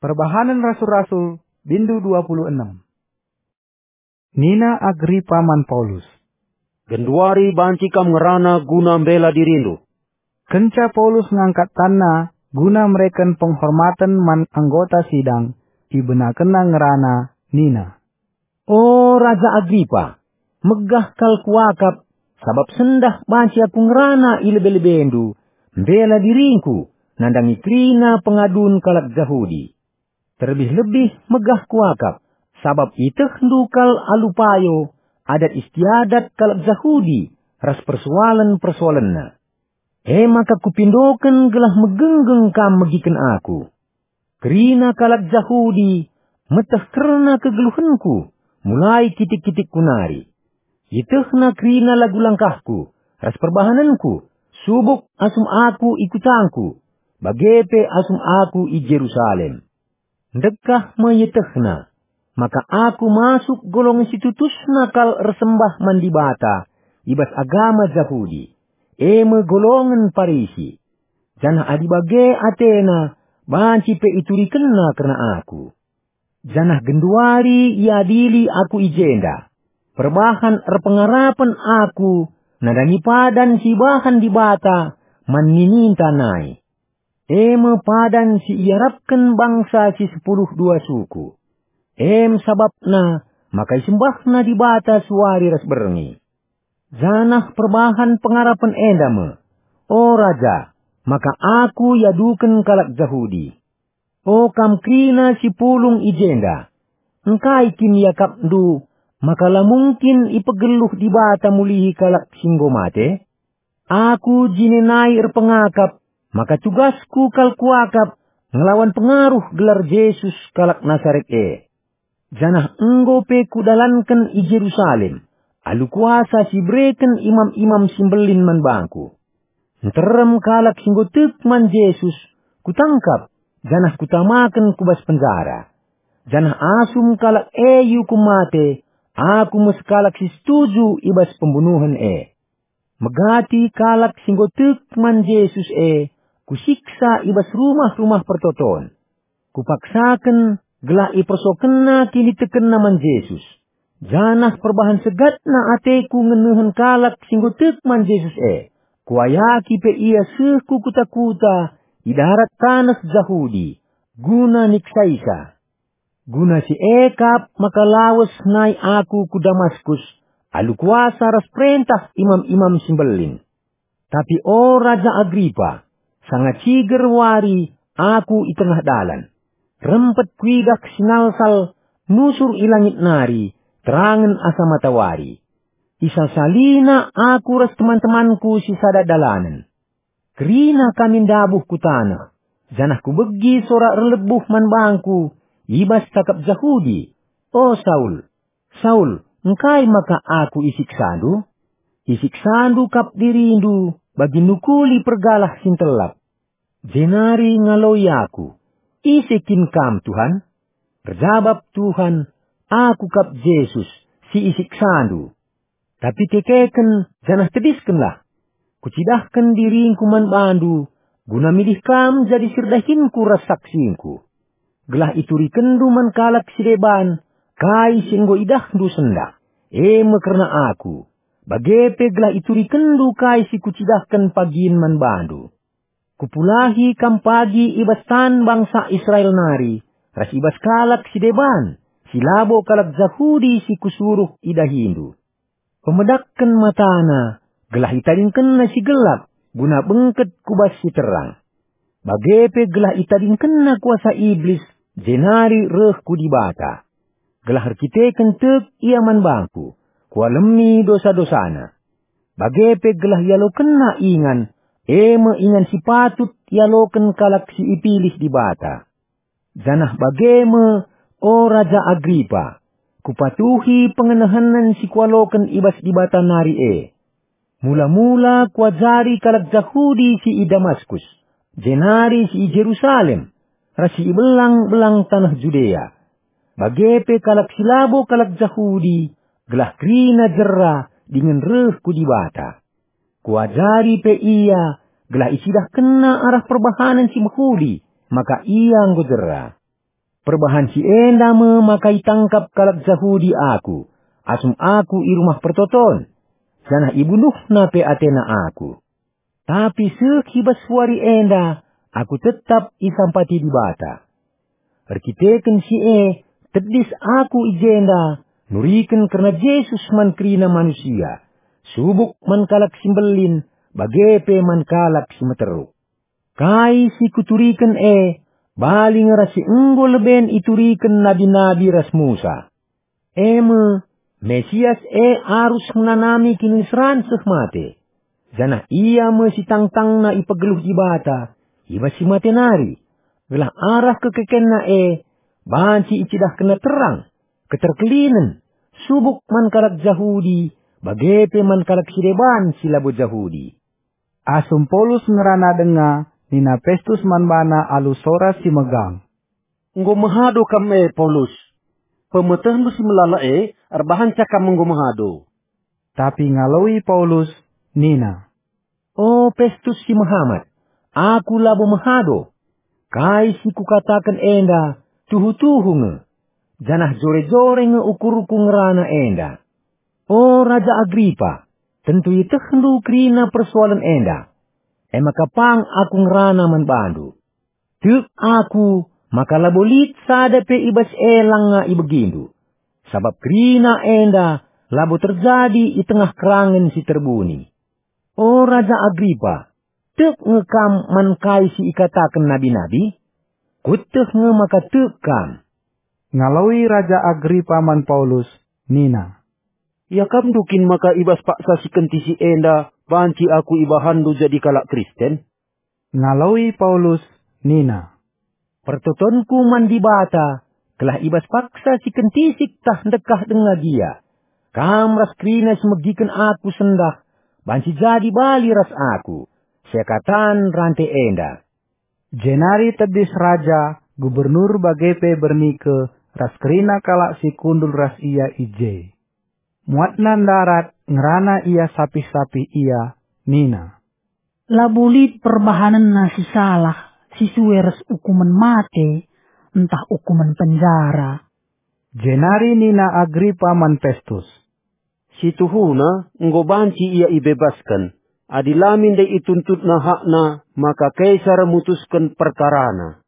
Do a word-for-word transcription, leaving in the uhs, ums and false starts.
Perbahanen Rasul-Rasul, bindu dua puluh enem. Nina Agripa man Paulus, "Genduari banci kam ngerana guna mbela dirindu." Kenca Paulus ngangkat tanna guna mereken penghormaten man anggota sidang, ibenakenna ngerana, nina, "O Raja Agripa, megah kal kuakap, sabap sendah banci aku ngerana i lebe-lebendu, mbela diringku, nandangi kerina pengadun kalak Jahudi. Terlebih-lebih megah kuakap, sabap ietehndu kal alu payo, adat istiadat kalak Jahudi ras persoalen-persoalenna. E maka kupindoken gelah megenggeng kam megiken aku. Kerina kalak Jahudi meteh kerna kegeluhenku mulai kitik-kitikku nari. Ietehna kerina lagu langkahku ras perbahanenku, subuk asum aku i kutangku, bage pe asum aku i Jerusalem. Ndekah me ietehna, maka aku masuk golongen si tutusna kal ersembah man Dibata i bas agama Jahudi, e me golongen Parisi. Janah adi bage atena, banci pe iturikenna kerna aku. Janah genduari iadili aku i jenda. Perbahan erpengarapen aku nandangi padan si ibahan Dibata man nininta nai. E me padan si iarapken bangsa si sepuluh dua suku. E me sabapna maka isembahna Dibata suari ras berngi. Janah perbahan pengarapen enda me, o Raja, maka aku iaduken kalak Jahudi. O kam kerina si pulung i jenda, engkai kin iakapndu maka la mungkin ipegeluh Dibata mulihi kalak si enggo mate? Aku jine nai erpengakap maka tugasku kal kuakap ngelawan pengaruh gelar Jesus kalak Nasaret e. Janah enggo pe kudalanken i Jerusalem alu kuasa si ibereken imam-imam si mbelin man bangku. Nterem kalak si enggo tek man Jesus kutangkap janah kutamaken ku bas penjara. Janah asum kalak e iukum mate, aku me sekalak si setuju i bas pembunuhen e. Megati kalak si enggo tek man Jesus e kusiksa i bas rumah-rumah pertoton. Kupaksaken gelah ipersokenna kinitekenna man Jesus. Janah perbahan segatna ateku ngenehen kalak si enggo tek man Jesus e. Kuayaki pe ia seh ku kuta-kuta i darat taneh Jahudi, guna niksaisa. Guna si e kap maka lawes nai aku ku Damaskus alu kuasa ras perentah imam-imam si mbelin. Tapi o Raja Agripa, sanga ciger wari aku i tengah dalan. Rempet kuidah sinalsal nusur i langit nari, terangen asa matawari. Isasalina aku ras teman-temanku si sada dalanen. Kerina kami ndabuh ku taneh, janah kubegi sora erlebuh man bangku i bas cakap Jahudi, "O Saul, Saul, engkai maka aku isiksandu?" Isiksandu kap dirindu bagi nukuli pergalah si ntelap. Jenari ngaloi aku, "Ise kin kam, Tuhan?" Erjabap Tuhan, "Aku kap Jesus, si isiksandu. Tapi kekeken janah tediskenlah. Kucidahken diringku man bandu, guna milih kam jadi sirdahinku ras saksingku. Gelah iturikenndu man kalak si deban kai si enggo idahndu sendah, e me kerna aku, bage pe gelah iturikenndu kai si kucidahken pagin man bandu. Kupulahi kam pagi i bas tan bangsa Israel nari, ras i bas kalak si deban, si labo kalak Jahudi si kusuruh idahindu. Pemedakken matana, gelah itadingkenna si gelap, guna bengket ku bas si terang. Bage pe gelah itadingkenna kuasa Iblis, jenari reh ku Dibata. Gelah erkiteken tek ia man bangku, kualemi dosa-dosana. Bage pe gelah ialokenna ingan, e me ingan si patut ialoken kalak si ipilih Dibata. Janah bage me, o Raja Agripa, kupatuhi pengenehenen si kualoken i bas Dibata nari e. Mula-mula kuajari kalak Jahudi si i Damaskus, jenari si i Jerusalem, ras si i belang-belang taneh Judea, bage pe kalak si labo kalak Jahudi, gelah kerina jera dingen reh ku Dibata. Kuajari pe ia, gelah icidahkenna arah perbahanen si mehuli, maka ia enggo jera. Perbahan si enda me maka itangkap kalak Jahudi aku, asum aku i rumah pertoton, janah ibunuhna pe atena aku. Tapi seh i bas wari enda aku tetap isampati Dibata. Erkiteken si e, tedis aku i jenda nuriken kerna Jesus man kerina manusia, subuk man kalak si mbelin, bage pe man kalak si meteruk. Kai si kuturiken e, bali nge ras si enggo leben ituriken nabi-nabi ras Musa. E me, Mesias e arus ngenanami kiniseran seh mate, janah ia me si tangtangna ipegeluh Dibata i bas si mate nari, gelah arah kekekenna e banci icidahkenna terang, keterkelinen, subuk man kalak Jahudi, bage pe man kalak si deban si labo Jahudi. Asum Paulus ngerana denga, nina Pestus man bana alu sora si megang, "Enggo mehado kam e, Paulus. Pemetehndu si melala e erbahanca kam enggo mehado." Tapi ngaloi Paulus nina, "O Pestus si mehamat, aku labo mehado. Kai si kukataken enda tuhu-tuhu nge, janah jore-jore nge ukurku ngerana enda. O Raja Agripa, tentu ietehndu kerina persoalen enda. E maka pang aku ngerana man bandu. Tek aku maka labo lit sada pe i bas e langa ibegindu, sabap kerina enda labo terjadi i tengah kerangen si terbuni. O Raja Agripa, tek nge kam man kai si ikataken nabi-nabi? Kueteh nge maka tek kam." Ngaloi Raja Agripa man Paulus nina, "Iakapndu kin maka i bas paksa si kentisik enda banci aku ibahanndu jadi kalak Kristen?" Ngaloi Paulus nina, "Pertotonku man Dibata, gelah i bas paksa si kentisik tah ndekah denga gia, kam ras kerina si megiken aku sendah banci jadi bali ras aku, seakatan rante enda." Jenari tedis raja, gubernur bage pe Bernike ras kerina kalak si kundul ras ia i je. Muatna ndarat, ngerana ia sapih-sapih ia, nina, "Labo lit perbahanenna si salah, si sue ras ukumen mate, ntah ukumen penjara." Jenari nina Agripa man Pestus, "Si tuhuna enggo banci ia ibebasken, adi la min ndai ituntutna hakna, maka Kaisar mutusken perkarana."